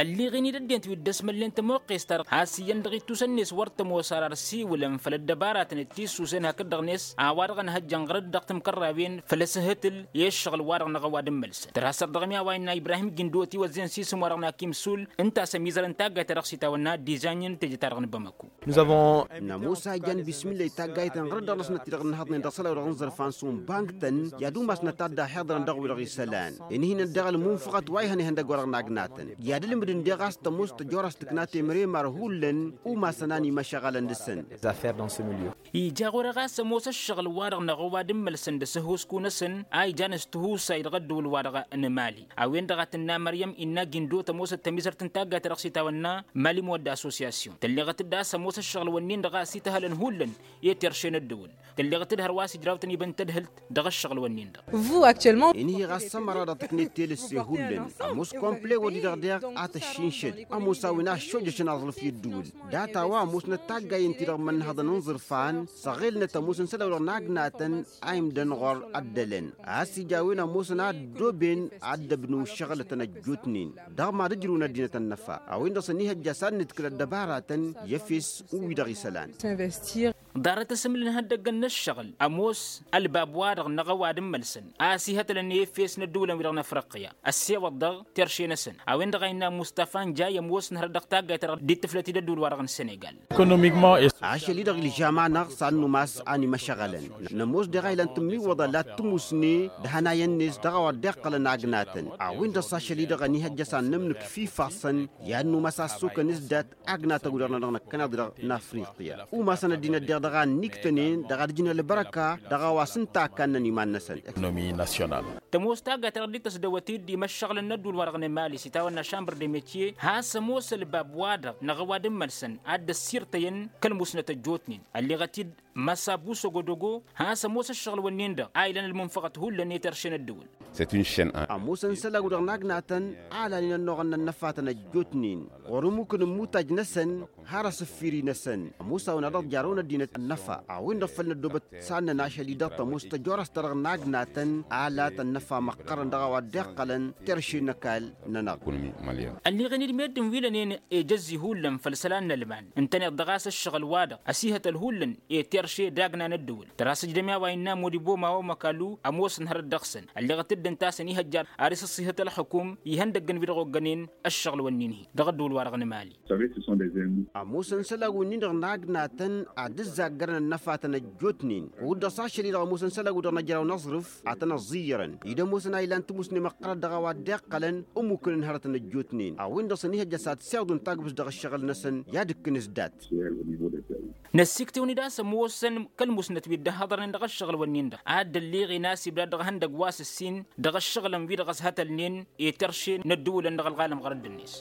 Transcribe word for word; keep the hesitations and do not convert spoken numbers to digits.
Ălleɣen-dd ăddinăt wi dd-ăsmălnen tămoqqes-ta-dăɣ has-iyyăn dăɣ-ittus-net wăr tămoos ar ăssiwǝlăn făll-ăddăbaratăn d-tissusen hakd-dăɣ-net a-wa-dăɣ ănhăjjăn ɣărăt dăɣ-timkărrawen făll-asǝhǝtǝl i-ǝššăɣǝl-wa-dăɣ n-aɣăwad n-imălsăn tărha săr-dăɣ mi-a-wa innă ibrahim gindo tiwăzzăn s-isǝm-wa-dăɣ n-akim sul. Ǝnta a-s ămizărăn taggayt-ta-dăɣ s-itawănna d-izanin teje-ta-dăɣ n-bamăku. Nămoos a ijan bismǝllay taggayt n-ɣărăt dăɣ-năsnăt-ti-dăɣ ǝnnăhăḍnen dăɣ-isălan-wa-dăɣ n-iẓărfan s-unbang-tăn i-ad-umasnăt ad-dd-ahiḍărăn dăɣ-wi-dăɣ isălan. Ǝnhǝynăn daɣ ălmunfăɣăt wa ihăn ihăndăgg-wa-dăɣ n-agnatăn i-ad-ǝlmǝdǝn deɣ a-s tămoos tăjorăs tǝkna temremar hullan. Umasăn a n-imăšăɣălăn dăɣ-săn. Ija ɣur-e ɣas ămoos ǝššăɣǝl-wa-dăɣ n-aɣăwad n-imălsăn d-asǝhhuskunăsăn a ijan s-tihusay dăɣ-ăddǝwǝl-wa-dăɣ n-emali. A-wen-dăɣ a tǝnna măryăm innă gindo tămoosăt tămizărt n-taggayt-ta-dăɣ s-itawănna mali modda associasyon tălleɣăt-dd a-s ămoos ǝššăɣǝl-wǝnnin-dăɣ a-s ităhălăn hullan i-terše n-ăddǝwǝl. Tălleɣăt-dd hărwa a-s ǝjrawtăn ibăn tadhǝlt dăɣ-ǝššăɣǝl-wǝnnin-dăɣ. Inhi ɣas ămăra dăɣ-tǝknet telăsse hullan ămoos komple-wăddi-dăɣ deɣ a tăššinšăd ămoos a-wen a ăššojăšăn aẓrǝf i-ăddǝwǝl. Data-wa ămoosnăt taggayen-ti-dăɣ mănnăhăḍăn n-iẓǝrfan s-ăɣelnăt ămoosăn isălan-wa-dăɣ n-agnatăn a imdăn ɣur-ăddălăn a-s ija a-wen ămoosăn a ăddooben ad-dd-ăbnǝw ǝššăɣǝlătăn ăjjootnen dăɣ-mad-ǝjrǝwăn ăddinăt ănnăfa. A-wen-dăɣ s-ănihăjja s-ad-nǝdkǝl ăddăbaratăn i-efes u-wi-dăɣ isălan. Ḍarăt asǝmǝl n-ihăndăggăn n-ǝššăɣǝl ămoos ălbab-wa-dăɣ n-aɣăwad n-imălsăn a ăsihătălăn i-efes n-ăddǝwǝlăn-wi-dăɣ n-afriqya ăssewăḍ dăɣ-terše-năsăn. A-wen-dăɣ a innă mustafa n-jay ămoos n-hărăt dăɣ-taggayt-ta-dăɣ dd-ittǝflăt-dd ăddǝwǝl-wa-dăɣ n-senegal. Ašăl-i-dăɣ ilžam-anăɣ s-ad-numas a n-imăšăɣălăn. Nămoos deɣ a ilan tǝmmiwwăḍa la t-tǝmusne d-ihănayăn-net dăɣ-a-wa dd-iqqălăn agnatăn. A-wen-dăɣ s-ašăl-i-dăɣ ănihăjja s-ad-nǝmnǝk f-ifassăn i-ad-numas a ăssokăn s-dat agnatăn-wi-dăɣ-nănăɣ năkkăneḍ-i-dăɣ n-afriqya. Umasăn ăddinăt deɣ dăɣ-a ănniktănen dăɣ-ad-ǝjǝn ălbărăka dăɣ-a-wa s-ǝnta a kannăn iman-năsăn. Tămoos taggayt-ta-dăɣ dd-tăsdăwăt-dd imăššăɣǝlăn n-ăddul-wa-dăɣ n-emali s-itawănna šambăr d-emetye has-ămoos ălbab-wa-dăɣ n-aɣăwad n-imălsăn ad-dd-ăssirtăyăn kăl-musnăt ăjjootnen. Ălleɣăt-dd măsa busăgodogo has-ămoos ǝššăɣǝl-wǝnnin-dăɣ a ilăn ălmunfăɣăt hullan i-terše n-ăddǝwǝl. Ămoosăn isălan-wi-dăɣ n-agnatăn a lanen ănnuɣăn n-ănnăfatăn ăjjootnen ɣur-imukǝn n-imutaj-năsăn har asǝffiri-năsăn. Ămoos a-wen a dăɣ-jarrăwăn ăddinăt ănnăfa a-wen-dăɣ făl năddoobăt s-ad-năn ašăl-i-dăɣ tămoos tăjorăst-ta-dăɣ n-agnatăn a lat ănnăfa măqqărăn dăɣ-a-wa dd-iqqălăn terše n-ăkall-nănăɣ. Ălleɣen-dd meddǝn wi lănen ejăzzi hullan făll-isălan n-ălman ǝntăneḍ-dăɣ a-s ǝššăɣǝl-wa-dăɣ ăsihătăl hullan i-terše d-agna n-ăddǝwǝl tărha s-ǝjdăm i-a-wa innă modibo mawo măkalu ămoos n-hărăt dăɣ-săn. Ălleɣăt-dd ǝnta a-s ănihăjja ar isǝṣṣihăt ălxukum ihăndăgg n-wi-dăɣ oggănen ăššăɣǝl-wǝnnin-hi dăɣ-ăddǝwǝl-wa-dăɣ n-emali. Ămoosăn isălan-wǝnnin-dăɣ n-agnatăn ad-dd-ǝzzaggărăn ănnăfatăn ăjjootnen kud-dăɣ s-ašăl-i-dăɣ ămoosăn isălan-wi-dăɣ n-ajraw n-aẓrǝf ad-tăn-ăẓẓiyyărăn. Ed ămoosăn a ilan tǝmusne măqqărăt dăɣ-a-wa dd-iqqălăn ămmukăn n-hărătăn ăjjootnen a-wen-dăɣ s-ănihăjja s-ad-siwǝḍǝn tagbǝst dăɣ-ǝššăɣǝl-năsăn i-ad-ǝkkǝn s-dat. Năssiktewăn-dd a-s ămoosăn kăl-musnăt wi dd-ăhhăḍărnen dăɣ-ǝššăɣǝl-wǝnnin-dăɣ a dd-ălleɣen a-s ibdad dăɣ-ehăndăgg wa s-ǝssin dăɣ-ǝššăɣǝlăn-wi-dăɣ ăshătălnen i-terše n-ăddǝwǝlăn dăɣ-ălɣalăm ɣărădd-net.